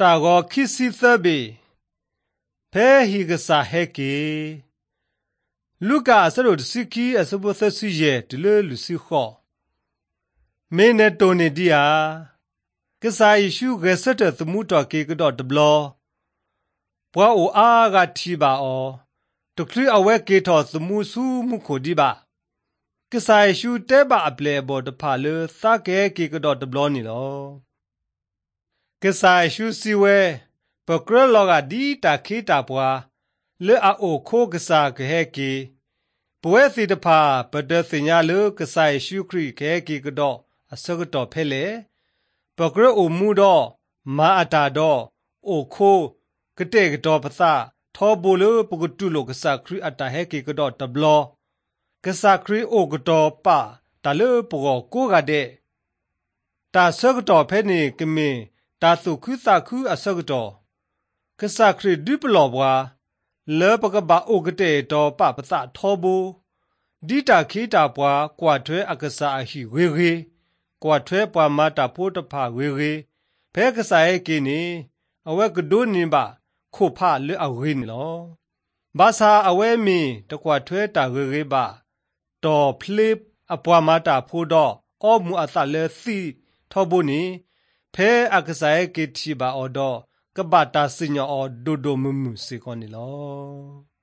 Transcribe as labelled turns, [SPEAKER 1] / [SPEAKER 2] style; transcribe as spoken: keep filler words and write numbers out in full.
[SPEAKER 1] ตาก็คิดสิเตเบเพ่ฮิกษาเฮเกลูกาสรุปสิกีอสบุษสิเยติเลลุสิขอเมเนโตเนดียกษาอิชูเกษตสมุตอเกกดอดบลอปว่าโออากาทีบาออตคลีเอาเวเกทอสมุสูมุโคดีบากษาอิชูเตบาอเปลบอดพาเลสาเกเกกดอดบลอนี่ลอกษาอิชูสิเวปกรลอกาดีตาเคตาปวาเลอาโอโคกษาเกเฮเกปวยสิตพาปเดสิญาเลกษาอิชูครีเกเกกดออสกตอเพเลปกรโอมูดอมาอาตาดอโอโคกเตกดอภาษาทอบูเลปกตุโลกษาครีอัตาเฮเกกดอตบลอกษาครีโอกดอปาตาเลปกโกกาเดตาสกตอเพเนกเมตาสุคุสาคุอสกตอกษาครีดิปลอบวาเลปกบาโอกเตตอปาภาษาทอบูดีตาคีตาปวากว่าเทอกษาอหิเวเรกว่าเทปวามาตาโพตพาเวเรเพกษาเอกินีอเวกดูนิบาโคพาเลอเวนิลอบาซาอเวมีตะกว่าเทตาเวเรบาตอพลิปอปวามาตาโพดออมูอาซาเลซีทอบุนีเพอกษาเอกิทีบาออดอกบาตาสิญออโดโดมุมุสิกอนิลอ